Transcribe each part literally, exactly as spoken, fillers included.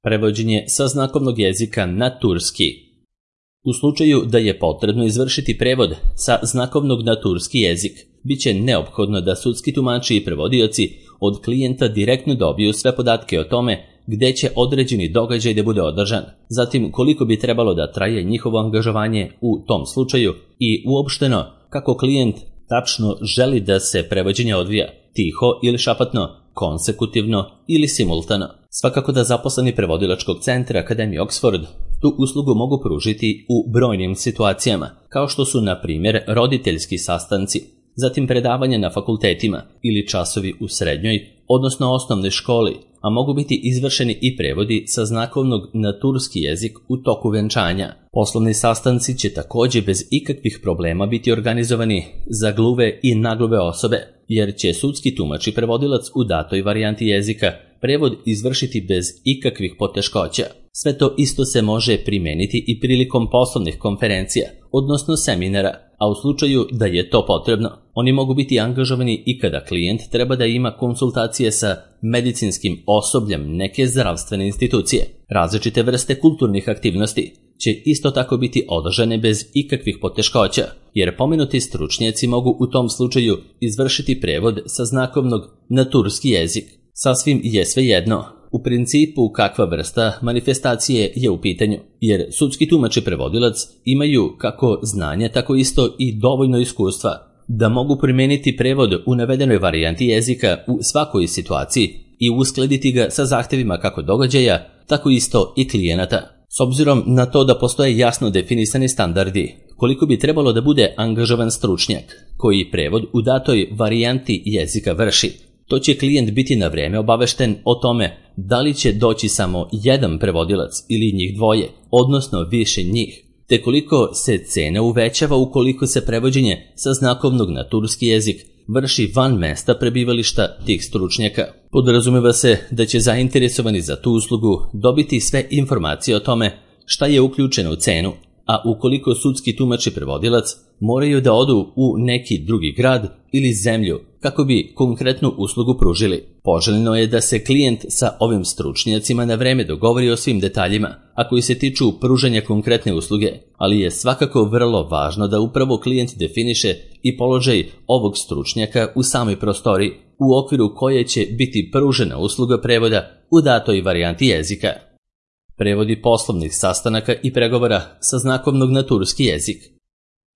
Prevođenje sa znakovnog jezika na turski. U slučaju da je potrebno izvršiti prevod sa znakovnog na turski jezik, bit će neophodno da sudski tumači i prevodioci od klijenta direktno dobiju sve podatke o tome gde će određeni događaj da bude održan, zatim koliko bi trebalo da traje njihovo angažovanje u tom slučaju i uopšteno kako klijent tačno želi da se prevođenje odvija, tiho ili šapatno, konsekutivno ili simultano. Svakako da zaposleni prevodilačkog centra Akademije Oxford tu uslugu mogu pružiti u brojnim situacijama, kao što su na primjer roditeljski sastanci, zatim predavanje na fakultetima ili časovi u srednjoj, odnosno osnovnoj školi, a mogu biti izvršeni i prevodi sa znakovnog na turski jezik u toku venčanja. Poslovni sastanci će također bez ikakvih problema biti organizovani za gluve i nagluve osobe, jer će sudski tumač i prevodilac u datoj varijanti jezika prevod izvršiti bez ikakvih poteškoća. Sve to isto se može primijeniti i prilikom poslovnih konferencija, odnosno seminara, a u slučaju da je to potrebno, oni mogu biti angažovani i kada klijent treba da ima konsultacije sa medicinskim osobljem neke zdravstvene institucije. Različite vrste kulturnih aktivnosti će isto tako biti održane bez ikakvih poteškoća, jer pomenuti stručnjaci mogu u tom slučaju izvršiti prevod sa znakovnog na turski jezik. Sasvim je svejedno u principu kakva vrsta manifestacije je u pitanju, jer sudski tumač i prevodilac imaju kako znanje, tako isto i dovoljno iskustva da mogu primijeniti prevod u navedenoj varijanti jezika u svakoj situaciji i uskladiti ga sa zahtevima kako događaja, tako isto i klijenata. S obzirom na to da postoje jasno definisani standardi, koliko bi trebalo da bude angažovan stručnjak koji prevod u datoj varijanti jezika vrši, to će klijent biti na vrijeme obavešten o tome da li će doći samo jedan prevodilac ili njih dvoje, odnosno više njih, te koliko se cena uvećava ukoliko se prevođenje sa znakovnog na turski jezik vrši van mesta prebivališta tih stručnjaka. Podrazumeva se da će zainteresovani za tu uslugu dobiti sve informacije o tome šta je uključeno u cenu, a ukoliko sudski tumač i prevodilac moraju da odu u neki drugi grad ili zemlju kako bi konkretnu uslugu pružili. Poželjno je da se klijent sa ovim stručnjacima na vreme dogovori o svim detaljima, a koji se tiču pružanja konkretne usluge, ali je svakako vrlo važno da upravo klijent definiše i položaj ovog stručnjaka u samoj prostoriji, u okviru koje će biti pružena usluga prevoda u datoj varijanti jezika. Prevodi poslovnih sastanaka i pregovora sa znakovnog na turski jezik.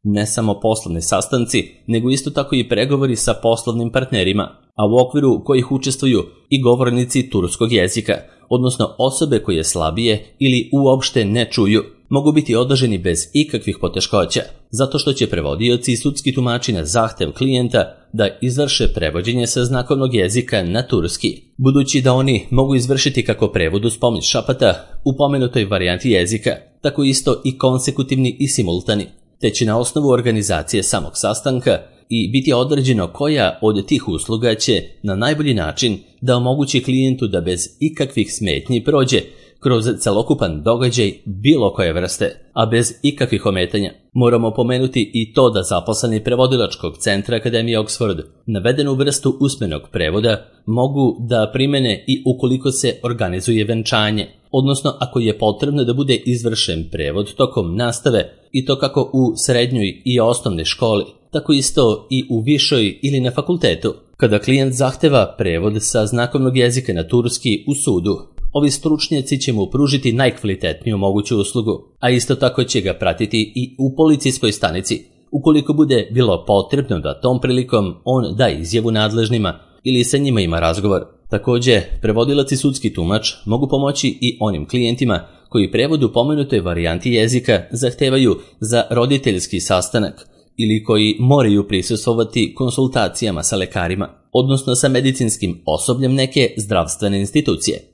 Ne samo poslovni sastanci, nego isto tako i pregovori sa poslovnim partnerima, a u okviru kojih učestvuju i govornici turskog jezika, odnosno osobe koje slabije ili uopšte ne čuju, mogu biti održani bez ikakvih poteškoća, zato što će prevodioci i sudski tumači na zahtev klijenta da izvrše prevođenje sa znakovnog jezika na turski, budući da oni mogu izvršiti kako prevod uz pomoć šapata u pomenutoj varijanti jezika, tako isto i konsekutivni i simultani, te će na osnovu organizacije samog sastanka i biti određeno koja od tih usluga će na najbolji način da omogući klijentu da bez ikakvih smetnji prođe kroz celokupan događaj bilo koje vrste, a bez ikakvih ometanja. Moramo pomenuti i to da zaposleni prevodilačkog centra Akademije Oxford navedenu vrstu usmenog prevoda mogu da primene i ukoliko se organizuje venčanje, odnosno ako je potrebno da bude izvršen prevod tokom nastave i to kako u srednjoj i osnovnoj školi, tako isto i u višoj ili na fakultetu. Kada klijent zahteva prevod sa znakovnog jezika na turski u sudu, ovi stručnjaci će mu pružiti najkvalitetniju moguću uslugu, a isto tako će ga pratiti i u policijskoj stanici, ukoliko bude bilo potrebno da tom prilikom on da izjavu nadležnima ili sa njima ima razgovor. Također, prevodilac i sudski tumač mogu pomoći i onim klijentima koji prevod u pomenutoj varijanti jezika zahtevaju za roditeljski sastanak ili koji moraju prisustvovati konsultacijama sa lekarima, odnosno sa medicinskim osobljem neke zdravstvene institucije.